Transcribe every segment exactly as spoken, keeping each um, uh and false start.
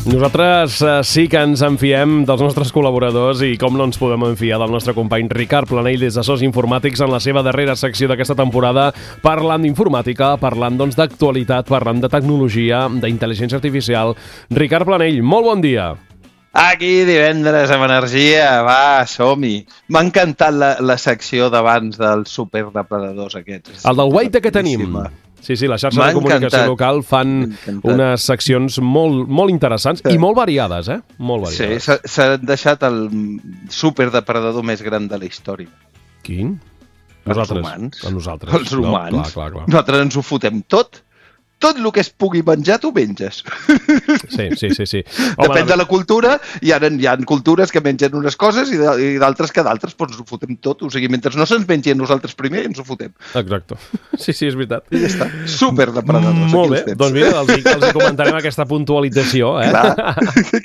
Nosaltres eh, sí que ens enfiem dels nostres col·laboradors i com no ens podem enfiar del nostre company Ricard Planell des de Sos Informàtics en la seva darrera secció d'aquesta temporada, parlant d'informàtica, parlant doncs d'actualitat, parlant de tecnologia, d'intel·ligència artificial. Ricard Planell, molt bon dia. Aquí divendres amb energia, va, som-hi. M'ha encantat la, la secció d'abans dels superdepredadors aquests. El del Guaita que tenim. Sí, sí, la xarxa de comunicació local fan unes seccions molt, molt interessants sí. i molt variades, eh? Molt variades. Sí, s'ha deixat el superdepredador més gran de la història. Quin? Nosaltres. Els humans. A nosaltres. Els humans. No, clar, clar, clar. Nosaltres ens ho fotem tot. Tot el que es pugui menjar, tu menges. Sí, sí, sí. sí. Home, depèn de la cultura, hi ha, hi ha cultures que mengen unes coses i d'altres que d'altres, doncs ho fotem tot. O sigui, mentre no se'ns mengi a nosaltres primer, ens ho fotem. Exacte. Sí, sí, és veritat. I ja està. Superdepredadors. Molt bé, doncs mira, els, els comentarem aquesta puntualització. Eh? Clar,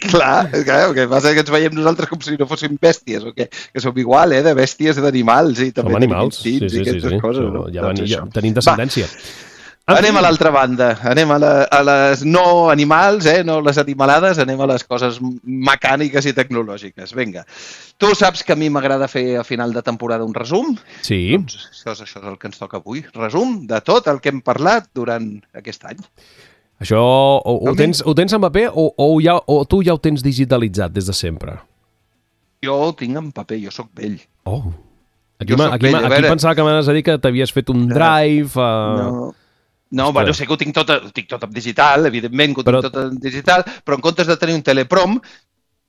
clar, clar, el que passa és que ens veiem nosaltres com si no fóssim bèsties, o que, que som igual, eh, de bèsties i d'animals. I també som animals, sí, sí, sí. sí. Coses, no? Ja, doncs ja tenim descendència. Va. Anem a l'altra banda, anem a, la, a les no animals, eh, no les animalades, anem a les coses mecàniques i tecnològiques. Vinga, tu saps que a mi m'agrada fer a final de temporada un resum? Sí. Doncs això, és, això és el que ens toca avui, resum de tot el que hem parlat durant aquest any. Això ho, ho, tens, ho tens en paper o, o, ja, o tu ja ho tens digitalitzat des de sempre? Jo ho tinc en paper, jo sóc vell. Oh, aquí, ma, aquí, vell, aquí pensava que m'anaves a dir que t'havies fet un drive... Uh... No. No, bueno, sé que ho tinc tot, ho tinc tot en digital, evidentment que ho tinc però... tot en digital, però en comptes de tenir un teleprom,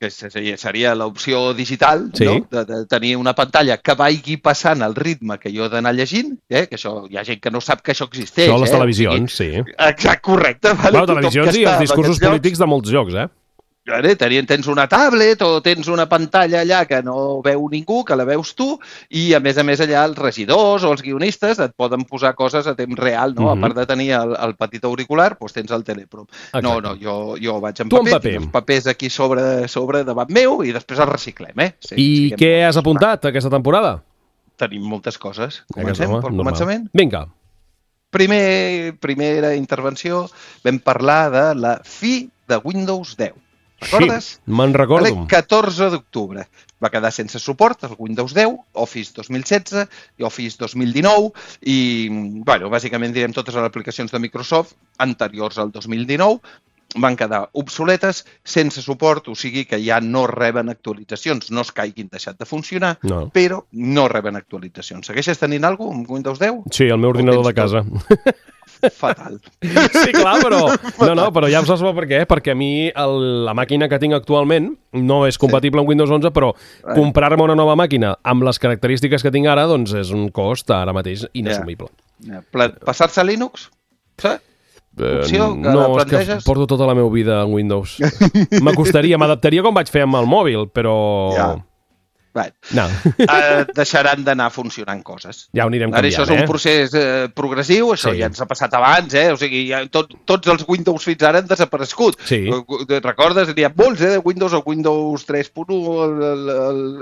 que seria l'opció digital, sí. no? de, de tenir una pantalla que vagi passant al ritme que jo he d'anar llegint, eh? Que això hi ha gent que no sap que això existeix. Això a les eh? televisions, sí. Exacte, correcte. Vale? Bueno, televisions i els discursos polítics de molts llocs, eh? Tens una tablet o tens una pantalla allà que no veu ningú, que la veus tu, i a més a més allà els regidors o els guionistes et poden posar coses a temps real, no? Mm-hmm. A part de tenir el, el petit auricular, doncs tens el teleprom. Exacte. No, no, jo, jo vaig en tu paper, en paper. Els papers aquí sobre, sobre davant meu i després els reciclem, eh? Sí, I què has apuntat aquesta temporada? Tenim moltes coses. Comencem pel començament? Vinga. Primer, primera intervenció, vam parlar de la fi de Windows deu. Recordes? Sí, me'n recordo. El catorze d'octubre va quedar sense suport el Windows deu, Office dos mil setze i Office dos mil dinou i, bueno, bàsicament direm totes les aplicacions de Microsoft anteriors al dos mil dinou van quedar obsoletes, sense suport, o sigui que ja no reben actualitzacions. No es caiguin deixat de funcionar, no. però no reben actualitzacions. Segueixes tenint alguna cosa amb Windows deu? Sí, el meu ordinador de casa. Fatal. Sí, clar, però no, no, però ja em saps per què, perquè a mi el, la màquina que tinc actualment no és compatible sí. amb Windows onze, però right. comprar-me una nova màquina amb les característiques que tinc ara, doncs és un cost ara mateix inassumible. Yeah. Yeah. Passar-se a Linux? Sí? Opció que no, la planteges? És que porto tota la meva vida en Windows. M'acostaria, m'adaptaria com vaig fer amb el mòbil, però... Ja. Right. No. uh, deixaran d'anar funcionant coses. Ja ho anirem canviant, Això és un eh? procés eh, progressiu, això sí. ja ens ha passat abans, eh? O sigui, ja tot, tots els Windows fins ara han desaparegut. Sí. Recordes? N'hi ha molts, eh? De Windows, el Windows tres punt u,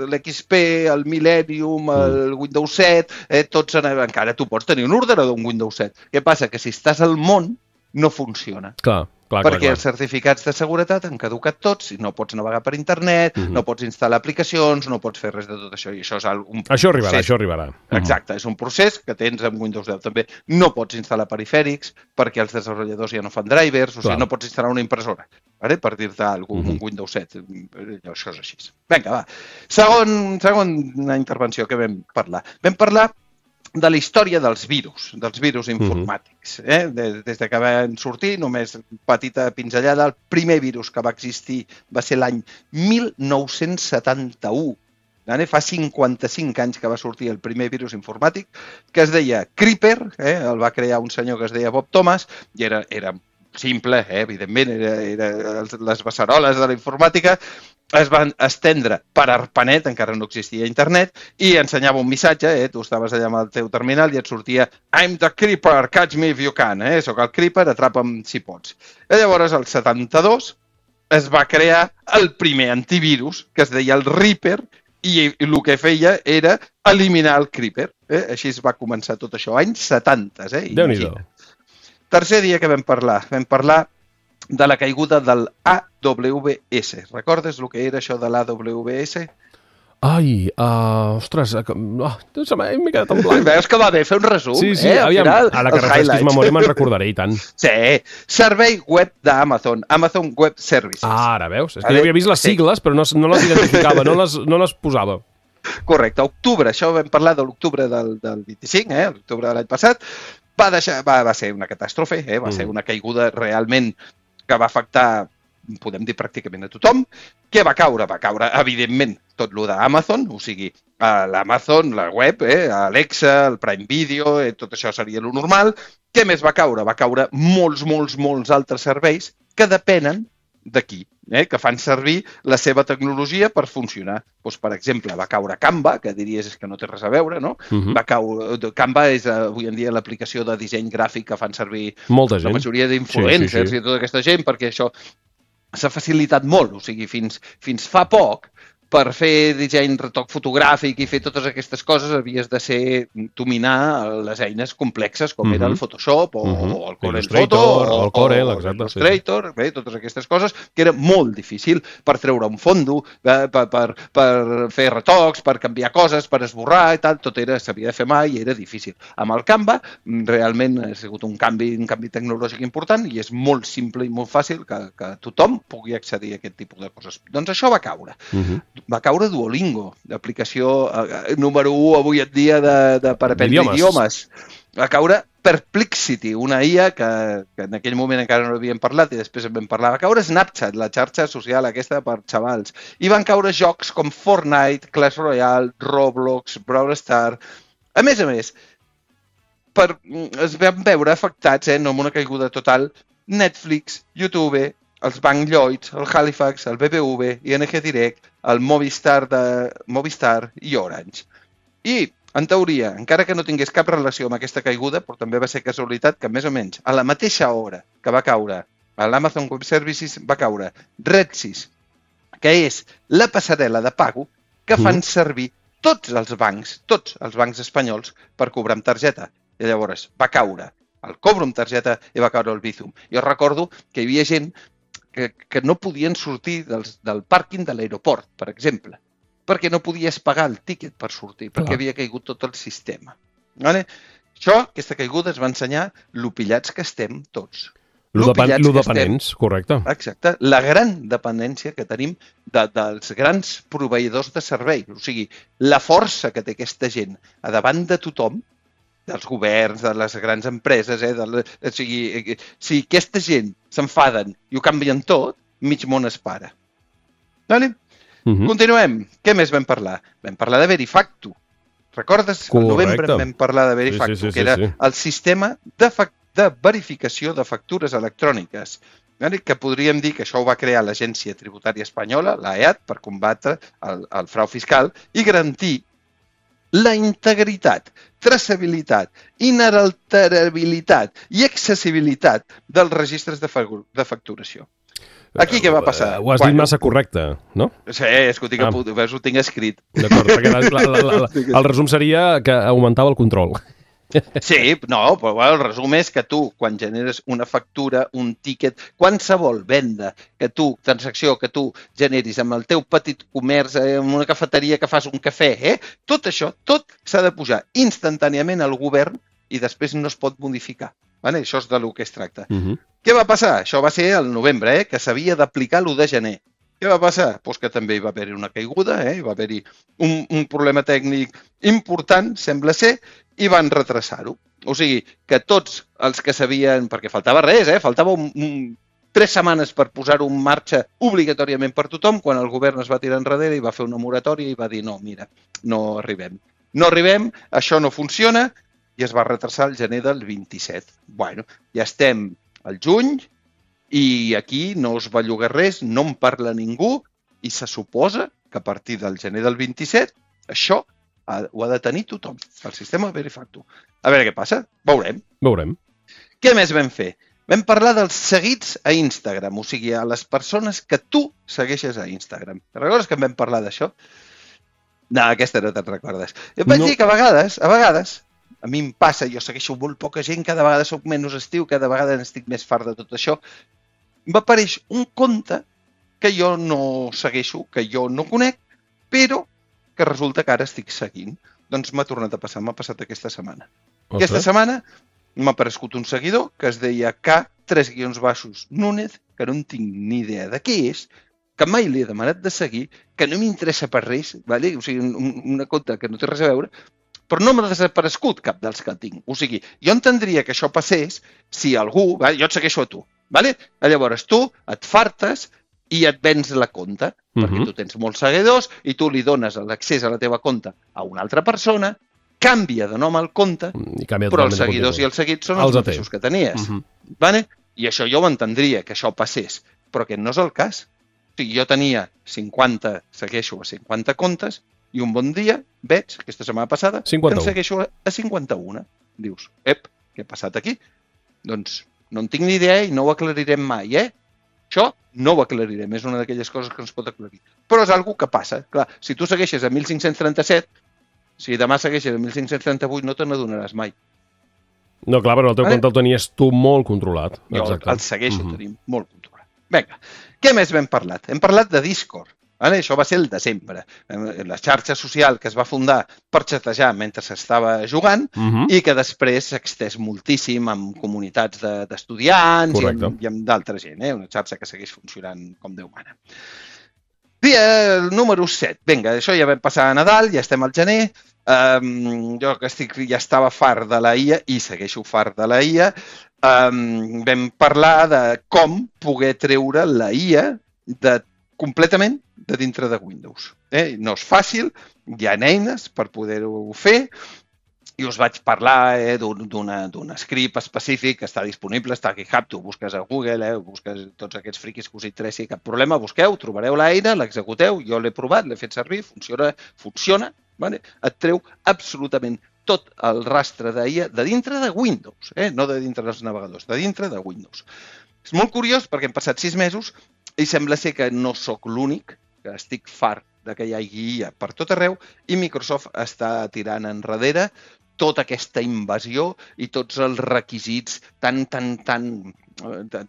l'X P, el Millennium, el mm. Windows set, eh? Tots han... encara tu pots tenir un ordenador amb Windows set. Què passa? Que si estàs al món, no funciona. Clar. Clar, perquè clar, clar. els certificats de seguretat han caducat tots i no pots navegar per internet, uh-huh. no pots instal·lar aplicacions, no pots fer res de tot això. I això és un procés. Això arribarà, això arribarà. Exacte, uh-huh. és un procés que tens amb Windows deu també. No pots instal·lar perifèrics perquè els desenvolupadors ja no fan drivers, o sigui, no pots instal·lar una impressora, vale? Per dir-te alguna cosa, uh-huh. un Windows set. Això és així. Vinga, va. Segon, segona intervenció que vam parlar. Vam parlar de la història dels virus, dels virus informàtics. Eh? Des de que van sortir, només petita pinzellada, el primer virus que va existir va ser l'any mil nou-cents setanta-u. Fa cinquanta-cinc anys que va sortir el primer virus informàtic, que es deia Creeper, eh? El va crear un senyor que es deia Bob Thomas, i era, era simple, eh? Evidentment, era, era les beceroles de la informàtica, es van estendre per ARPANET, encara no existia internet, i ensenyava un missatge, eh? Tu estaves allà amb el teu terminal i et sortia I'm the Creeper, catch me if you can, eh? Soc el Creeper, atrapa'm si pots. I llavors, al setanta-dos, es va crear el primer antivirus, que es deia el Reaper, i el que feia era eliminar el Creeper. Eh? Així es va començar tot això, anys setanta, eh? Déu-n'hi-do. Tercer dia que vam parlar, vam parlar de la caiguda del A W S. Recordes el que era això de l'A W S? Ai, uh, ostres, uh, oh, m'he quedat en blanc. Veus que va bé fer un resum, sí, sí, eh? Aviam, final, ara que refresquis memòria me'n recordaré i tant. Sí, servei web d'Amazon, Amazon Web Services. Ah, ara veus, és que jo havia vist les sigles, sí. però no, no les identificava, no les, no les posava. Correcte, octubre, això vam parlar de l'octubre del, del vint-i-cinc, eh? l'octubre de l'any passat, va, deixar, va, va ser una catàstrofe, eh? va mm. ser una caiguda realment que va afectar, podem dir pràcticament a tothom. Què va caure? Va caure, evidentment, tot el d'Amazon, o sigui, l'Amazon, la web, eh, Alexa, el Prime Video, eh, tot això seria el normal. Què més va caure? Va caure molts, molts, molts altres serveis que depenen d'aquí, eh, que fan servir la seva tecnologia per funcionar. Doncs, per exemple, va caure Canva, que diries que no té res a veure, no? Uh-huh. Va caure... Canva és avui en dia l'aplicació de disseny gràfic que fan servir molta gent. La majoria d'influencers sí, sí, sí. i tota aquesta gent, perquè això s'ha facilitat molt, o sigui, fins, fins fa poc, per fer disseny, retoc fotogràfic i fer totes aquestes coses havies de ser dominar les eines complexes com uh-huh. era el Photoshop o, uh-huh. o el Corel Photo o el Corel, exacte, Illustrator, sí. bé, totes aquestes coses que era molt difícil per treure un fondo, eh, per, per, per fer retocs, per canviar coses, per esborrar i tal, tot era, s'havia de fer mai i era difícil. Amb el Canva realment ha sigut un canvi, un canvi tecnològic important i és molt simple i molt fàcil que, que tothom pugui accedir a aquest tipus de coses. Doncs això va caure. Uh-huh. Va caure Duolingo, l'aplicació eh, número u avui en dia de, de per aprendre idiomes. idiomes. Va caure Perplexity, una I A que, que en aquell moment encara no havíem parlat i després en vam parlar. Va caure Snapchat, la xarxa social aquesta per xavals. I van caure jocs com Fortnite, Clash Royale, Roblox, Brawl Stars. A més a més, per, es van veure afectats, eh, no amb una caiguda total, Netflix, YouTube, els Banc Lloyds, el Halifax, el B B V, I N G Direct, el Movistar, de, Movistar i Orange. I, en teoria, encara que no tingués cap relació amb aquesta caiguda, però també va ser casualitat que més o menys a la mateixa hora que va caure a l'Amazon Web Services va caure Redsys, que és la passarel·la de pago que fan servir tots els bancs, tots els bancs espanyols per cobrar amb targeta. I llavors va caure el cobro amb targeta i va caure el Bizum. Jo recordo que hi havia gent Que, que no podien sortir dels, del pàrquing de l'aeroport, per exemple, perquè no podies pagar el tíquet per sortir, perquè Clar. havia caigut tot el sistema. Vale? Això, aquesta caiguda, es va ensenyar lo pillats que estem tots. Lo dependents, correcte. Exacte. La gran dependència que tenim de, dels grans proveïdors de servei. O sigui, la força que té aquesta gent a davant de tothom, dels governs, de les grans empreses, eh? de, o sigui, si aquesta gent s'enfaden i ho canvien tot, mig món es para. Vale? Uh-huh. Continuem. Què més vam parlar? Vam parlar de Verifactu. Recordes? Correcte. Al novembre vam parlar de Verifactu, sí, sí, sí, que era sí, sí. el sistema de, de verificació de factures electròniques. Vale? Que podríem dir que això ho va crear l'Agència Tributària Espanyola, l'A E A T, per combatre el, el frau fiscal i garantir la integritat, traçabilitat, inalterabilitat i accessibilitat dels registres de, de facturació. Aquí què va passar? Ho has bueno, dit massa correcte, no? Sí, és que ho tinc, ah. veus, ho tinc escrit. D'acord, perquè la, la, la, la, el resum seria que augmentava el control. Sí, no, però bueno, el resum és que tu, quan generes una factura, un tíquet, qualsevol venda que tu, transacció que tu generis amb el teu petit comerç, eh, en una cafeteria que fas un cafè, eh, tot això, tot s'ha de pujar instantàniament al govern i després no es pot modificar. Vale? Això és de lo que es tracta. Uh-huh. Què va passar? Això va ser el novembre, eh, que s'havia d'aplicar l'u de gener. Què va passar? Pues que també hi va haver-hi una caiguda, eh? hi va haver-hi un, un problema tècnic important, sembla ser, i van retrasar-ho. O sigui, que tots els que sabien, perquè faltava res, eh? faltava un, un, tres setmanes per posar-ho en marxa obligatòriament per tothom, quan el govern es va tirar enrere i va fer una moratòria i va dir no, mira, no arribem. No arribem, això no funciona, i es va retrasar el gener del vint-i-set. Bueno, ja estem al juny, i aquí no es belluga res, no en parla ningú i se suposa que a partir del gener del vint-i-set això ha, ho ha de tenir tothom, el sistema Verifactu. A veure què passa, veurem. Veurem. Què més vam fer? Vam parlar dels seguits a Instagram, o sigui, a les persones que tu segueixes a Instagram. Te recordes que en vam parlar d'això? No, aquesta no te'n recordes. Et vaig no. dir que a vegades, a vegades, a mi em passa, jo segueixo molt poca gent, cada vegada soc menys estiu, cada vegada n'estic més fart de tot això, m'apareix un compte que jo no segueixo, que jo no conec, però que resulta que ara estic seguint. Doncs m'ha tornat a passar, m'ha passat aquesta setmana. Ostres. Aquesta setmana m'ha aparegut un seguidor que es deia K, tres guions baixos, Núñez, que no en tinc ni idea de què és, que mai li he demanat de seguir, que no m'interessa per res, vale? O sigui, un, una compte que no té res a veure, però no m'ha desaparegut cap dels que tinc. O sigui, jo entendria que això passés si algú... Vale? Jo et segueixo a tu. Vale? Llavors tu et fartes i et vens la compte, uh-huh. perquè tu tens molts seguidors i tu li dones l'accés a la teva compte a una altra persona, canvia de nom al compte, però els seguidors i els seguits són els, els mateixos que tenies. Uh-huh. Vale? I això jo ho entendria, que això passés, però aquest no és el cas. O sigui, jo tenia cinquanta, segueixo a cinquanta comptes, i un bon dia veig, aquesta setmana passada, cinquanta-u. que en segueixo a cinquanta-u. Dius, ep, què ha passat aquí? Doncs no en tinc ni idea i no ho aclarirem mai, eh? Això no ho aclarirem, és una d'aquelles coses que no es pot aclarir. Però és algo que passa. Clar, si tu segueixes a mil cinc-cents trenta-set, si demà segueixes a mil cinc-cents trenta-vuit, no te n'adonaràs mai. No, clar, però el teu vale? compte el tenies tu molt controlat. Jo Exacte. el segueixo uh-huh. tenint molt controlat. Vinga, què més hem parlat? Hem parlat de Discord. Vale? Això va ser el desembre. La xarxa social que es va fundar per xatejar mentre s'estava jugant uh-huh. i que després s'ha extès moltíssim amb comunitats de, d'estudiants i amb, i amb d'altra gent. Eh? Una xarxa que segueix funcionant com Déu mana. Dia número set. Vinga, això ja vam passar a Nadal, ja estem al gener. Um, jo que estic, ja estava fart de la I A i segueixo fart de la I A. Um, vam parlar de com poder treure la I A de, completament de dintre de Windows. Eh? No és fàcil, hi ha eines per poder-ho fer i us vaig parlar eh, d'un, d'una, d'un script específic que està disponible, està a GitHub, tu busques a Google, eh, busques tots aquests friquis que us interessi, cap problema, busqueu, trobareu l'eina, l'executeu, jo l'he provat, l'he fet servir, funciona, funciona, vale? Et treu absolutament tot el rastre d'I A de dintre de Windows, eh? No de dintre dels navegadors, de dintre de Windows. És molt curiós perquè hem passat sis mesos i sembla ser que no sóc l'únic, que estic fart de que hi hagi I A per tot arreu i Microsoft està tirant enrere tota aquesta invasió i tots els requisits tan, tan, tan,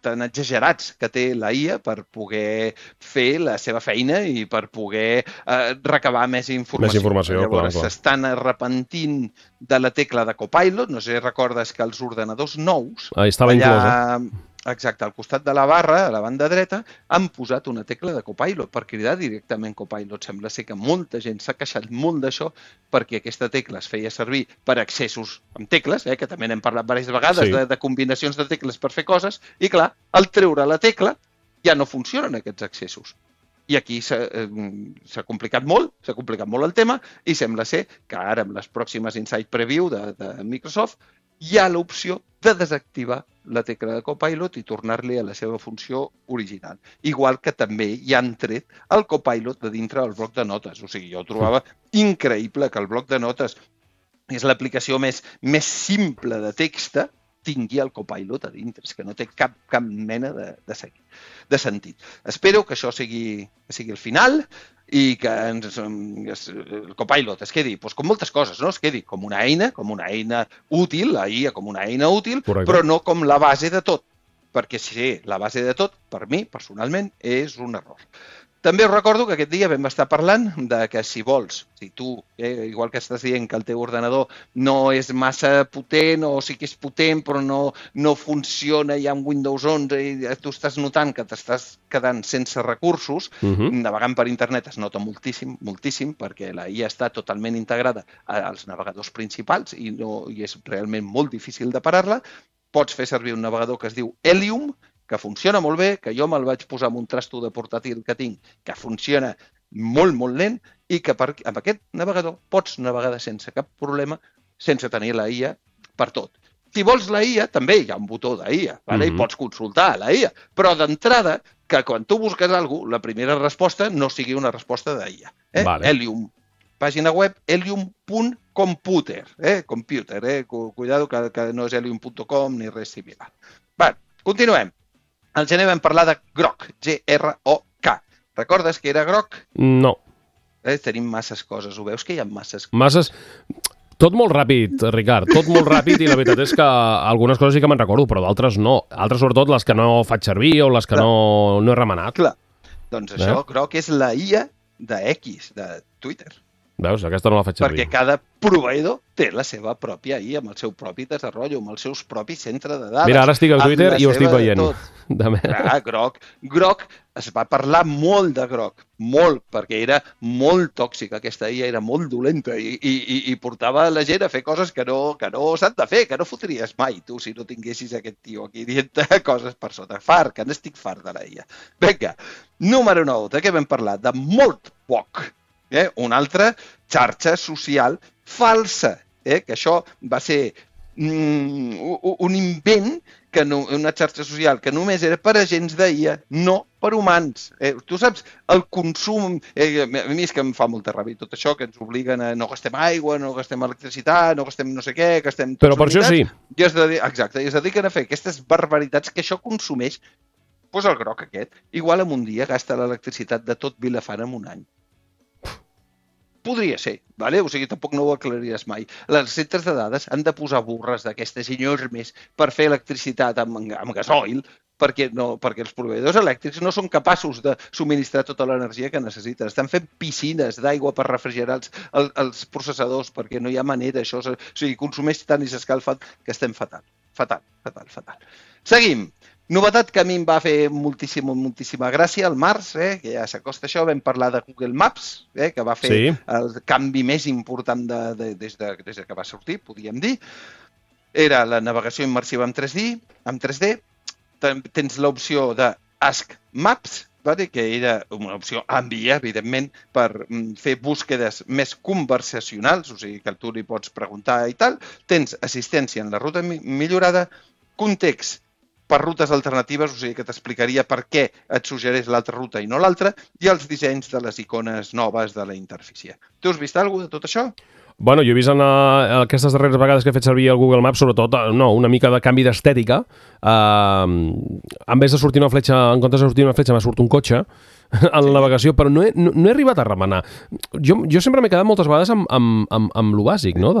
tan exagerats que té la I A per poder fer la seva feina i per poder eh, recabar més informació. Més informació, Llavors, clar, clar. s'estan arrepentint de la tecla de Copilot. No sé si recordes que els ordenadors nous... Ah, estava allà... inclosa. Exacte, al costat de la barra, a la banda dreta, han posat una tecla de Copilot per cridar directament Copilot. Sembla ser que molta gent s'ha queixat molt d'això perquè aquesta tecla es feia servir per accessos amb tecles, eh, que també n'hem parlat diverses vegades, sí. de, de combinacions de tecles per fer coses, i clar, al treure la tecla ja no funcionen aquests accessos. I aquí s'ha, eh, s'ha complicat molt, s'ha complicat molt el tema, i sembla ser que ara, amb les pròximes Insight Preview de, de Microsoft, hi ha l'opció de desactivar la tecla de Copilot i tornar-li a la seva funció original. Igual que també hi han tret el Copilot de dintre del bloc de notes. O sigui, jo trobava increïble que el bloc de notes és l'aplicació més, més simple de text, tingui el Copilot a dintre. És que no té cap, cap mena de, de, seguir, de sentit. Espero que això sigui, que sigui el final i que ens, el Copilot es quedi doncs, com moltes coses, no? Es quedi com una eina, com una eina útil, la I A com una eina útil, Correcte. Però no com la base de tot. Perquè si la base de tot, per mi, personalment, és un error. També us recordo que aquest dia vam estar parlant de que si vols, si tu, eh, igual que estàs dient que el teu ordenador no és massa potent o sí que és potent però no, no funciona ja amb Windows onze i tu estàs notant que t'estàs quedant sense recursos, uh-huh. navegant per internet es nota moltíssim, moltíssim, perquè la I A està totalment integrada als navegadors principals i, no, i és realment molt difícil de parar-la. Pots fer servir un navegador que es diu Helium, que funciona molt bé, que jo me'l vaig posar amb un trasto de portàtil que tinc, que funciona molt, molt lent i que per, amb aquest navegador pots navegar sense cap problema, sense tenir la I A per tot. Si vols la I A, també hi ha un botó d'I A, vale? Mm-hmm. I pots consultar la I A, però d'entrada, que quan tu busques alguna cosa, la primera resposta no sigui una resposta d'I A. Eh? Vale. Helium, pàgina web helium punt computer, eh? Computer, eh? Cuidado que, que no és helium punt com ni res similar. Va, continuem. Al gener vam parlar de Grok, G R O K. Recordes que era Grok? No. Eh, tenim masses coses, ho veus que hi ha masses coses? Masses... Tot molt ràpid, Ricard, tot molt ràpid i la veritat és que algunes coses sí que me'n recordo, però d'altres no. Altres, sobretot, les que no faig servir o les que no, no he remenat. Clar, doncs això, eh? Groc és la I A de X, de Twitter. Veus? Aquesta no la faig servir. Perquè cada proveïdor té la seva pròpia I A, amb el seu propi desenvolupament, amb els seus propis centres de dades. Mira, ara estic al Twitter i ho estic veient. Ah, Groc. Groc, es va parlar molt de Groc, molt, perquè era molt tòxica, aquesta I A era molt dolenta i, i, i portava la gent a fer coses que no, que no s'han de fer, que no fotries mai, tu, si no tinguessis aquest tio aquí dient coses per sota. Fart, que n'estic fart de la I A. Vinga, número nou, de què vam parlar? De molt poc. Eh? Una altra xarxa social falsa, eh? Que això va ser mm, un invent, que no, una xarxa social que només era per agents d'I A, no per humans. Eh? Tu saps, el consum, eh, a mi és que em fa molta ràbia tot això, que ens obliguen a no gastem aigua, no gastem electricitat, no gastem no sé què, gastem... Però per això sí. I es dediquen, exacte, i es dediquen a fer aquestes barbaritats que això consumeix, doncs el Groc aquest, igual en un dia gasta l'electricitat de tot Vilafant en un any. Podria ser, vale? O sigui, tampoc no ho aclariràs mai. Les centres de dades han de posar burres d'aquestes enormes per fer electricitat amb, amb gasoil, perquè, no, perquè els proveïdors elèctrics no són capaços de subministrar tota l'energia que necessiten. Estan fent piscines d'aigua per refrigerar els, els, els processadors, perquè no hi ha manera. Això, o sigui, consumeix tant i s'escalfa que estem fatal. Fatal, fatal, fatal. Seguim. Novetat que a mi em va fer moltíssima, moltíssima gràcia al març, eh, que ja s'acosta això, vam parlar de Google Maps, eh, que va fer sí. el canvi més important de, de, des, de, des de que va sortir, podríem dir. Era la navegació immersiva en tres D, en tres D. Tens l'opció de Ask Maps, vale? Que era una opció àmbia, evidentment, per fer búsquedes més conversacionals, o sigui que tu li pots preguntar i tal. Tens assistència en la ruta millorada, context per rutes alternatives, o sigui que t'explicaria per què et suggereix l'altra ruta i no l'altra, i els dissenys de les icones noves de la interfície. Tu has vist alguna cosa de tot això? Bueno, jo he vist en uh, aquestes darreres vegades que he fet servir el Google Maps, sobretot, uh, no, una mica de canvi d'estètica. Uh, en vez de sortir una fletxa, en comptes de sortir una fletxa, m'ha sortit un cotxe en la navegació, però no he, no, no he arribat a remenar. Jo, jo sempre m'he quedat moltes vegades amb, amb, amb, amb lo bàsic, no?,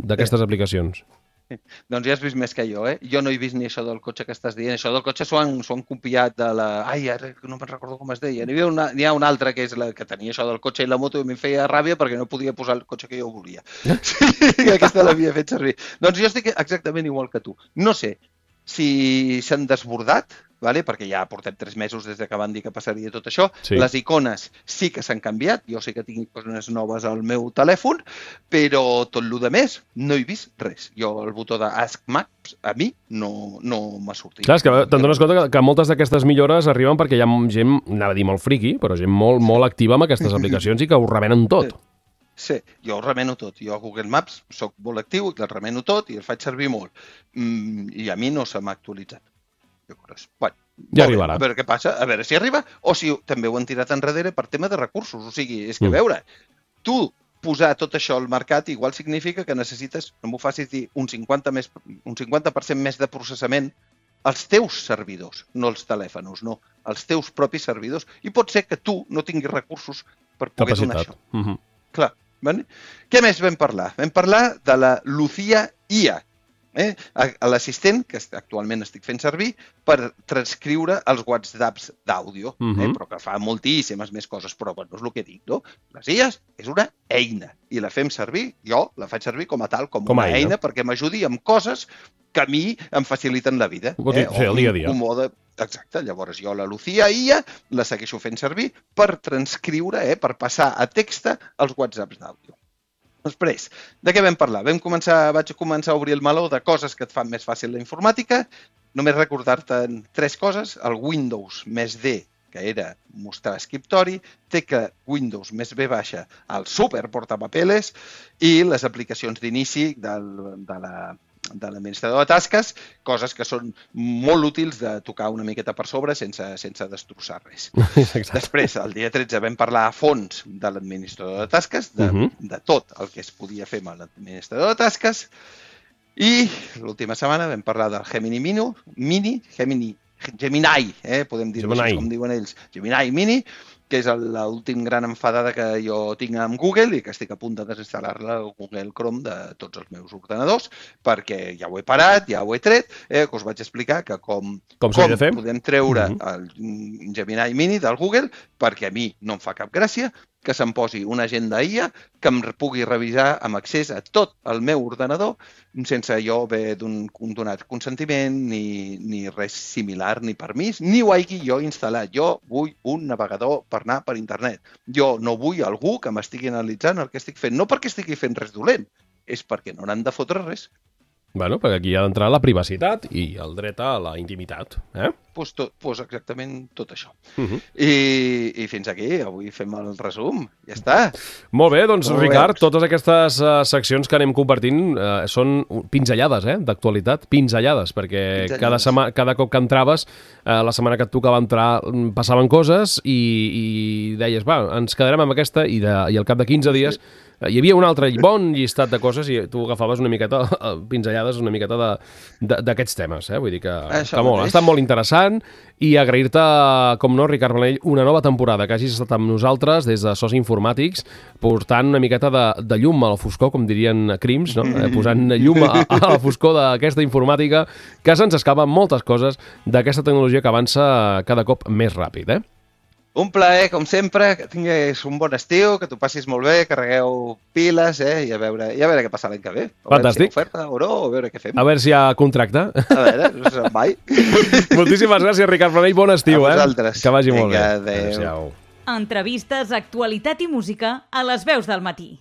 d'aquestes sí. aplicacions. Doncs ja has vist més que jo, eh? Jo no he vist ni això del cotxe que estàs dient. Això del cotxe s'ho han, han copiat de la... Ai, ara no me'n recordo com es deia. N'hi ha una, n'hi ha una altra que és la que tenia això del cotxe i la moto i em feia ràbia perquè no podia posar el cotxe que jo volia. Sí, aquesta l'havia fet servir. Doncs jo estic exactament igual que tu. No sé si s'han desbordat, vale? Perquè ja portem tres mesos des que van dir que passaria tot això. Sí. Les icones sí que s'han canviat, jo sí que tinc coses noves al meu telèfon, però tot el de més no he vist res. Jo el botó de Ask Maps a mi no, no m'ha sortit. Clar, és que te'n dones compte que, que moltes d'aquestes millores arriben perquè hi ha gent, anava a dir molt friqui, però gent molt, molt activa amb aquestes aplicacions i que ho remenen tot. Sí, jo ho remeno tot. Jo a Google Maps soc molt actiu i el remeno tot i el faig servir molt. Mm, I a mi no se m'ha actualitzat. Bueno, ja arribarà. A veure què passa, a veure si arriba o si també ho han tirat enrere per tema de recursos. O sigui, és que, a veure, tu posar tot això al mercat igual significa que necessites, no m'ho facis dir, un cinquanta més, un cinquanta per cent més de processament als teus servidors, no els telèfons, no, als teus propis servidors. I pot ser que tu no tinguis recursos per poder Capacitat. donar això. Uh-huh. Clar, vale? Què més vam parlar? Vam parlar de la Lucia I A. Eh? L'assistent, que actualment estic fent servir, per transcriure els WhatsApps d'àudio, uh-huh. eh? Però que fa moltíssimes més coses, però bueno, és el que dic, no? Les I As és una eina i la fem servir, jo la faig servir com a tal, com, com una eina, eina perquè m'ajudi amb coses que a mi em faciliten la vida. Eh? Sí, el dia a dia. Un, un mode... Exacte, llavors jo la Lucia I A la segueixo fent servir per transcriure, eh? Per passar a text els WhatsApps d'àudio. Després, de què vam parlar? Vam començar, vaig començar a obrir el meló de coses que et fan més fàcil la informàtica. Només recordar-te tres coses. El Windows més D, que era mostrar escriptori, té que Windows més B baixa el super portapapeles i les aplicacions d'inici del, de la... de l'administrador de tasques, coses que són molt útils de tocar una miqueta per sobre sense, sense destrossar res. Exacte. Després, el dia tretze, vam parlar a fons de l'administrador de tasques, de, uh-huh. de tot el que es podia fer amb l'administrador de tasques, i l'última setmana vam parlar del Gemini Mini, Mini Gemini, Gemini, eh? podem dir-ho així, com diuen ells, Gemini Mini, que és l'últim gran enfadada que jo tinc amb Google i que estic a punt de desinstal·lar-la al Google Chrome de tots els meus ordenadors, perquè ja ho he parat, ja ho he tret, eh, que us vaig explicar que com, com, com de fer? podem treure mm-hmm. el Gemini Mini del Google, perquè a mi no em fa cap gràcia que se'm posi una agenda I A que em pugui revisar amb accés a tot el meu ordenador sense jo haver donat consentiment ni, ni res similar, ni permís, ni ho hagi jo instal·lat. Jo vull un navegador per anar per internet. Jo no vull algú que m'estigui analitzant el que estic fent. No perquè estigui fent res dolent, és perquè no n'han de fotre res. Bueno, perquè aquí ha d'entrar la privacitat i el dret a la intimitat. Eh? Pues, tot, pues exactament tot això. Uh-huh. I, I fins aquí, avui fem el resum. Ja està. Molt bé, doncs Com Ricard, veus? Totes aquestes uh, seccions que anem compartint uh, són pinzellades, eh, d'actualitat, pinzellades, perquè pinzellades. Cada, sema, cada cop que entraves, uh, la setmana que et tocava entrar, passaven coses i, i deies, va, ens quedarem amb aquesta i, de, i al cap de quinze dies sí. Hi havia un altre bon llistat de coses i tu agafaves una miqueta, pinzellades una miqueta d'aquests temes, eh? Vull dir que, que molt, ha estat molt interessant i agrair-te, com no, Ricard Planell, una nova temporada que hagis estat amb nosaltres des de Sos Informàtics, portant una miqueta de, de llum a la foscor, com dirien Crims, no? Eh, posant llum a, a la foscor d'aquesta informàtica, que se'ns escapen moltes coses d'aquesta tecnologia que avança cada cop més ràpid, eh? Un plaer, com sempre, que tinguis un bon estiu, que t'ho passis molt bé, carregueu piles, eh, i a veure, i a veure què passa l'any que ve. A Fantàstic. Si oferta o no, a veure què fem. A veure si hi ha contracte. A veure, no sé mai. Moltíssimes gràcies, Ricard Planell, bon estiu, eh? A vosaltres. Que vagi molt Vinga, bé. Adéu. Entrevistes, actualitat i música a les veus del matí.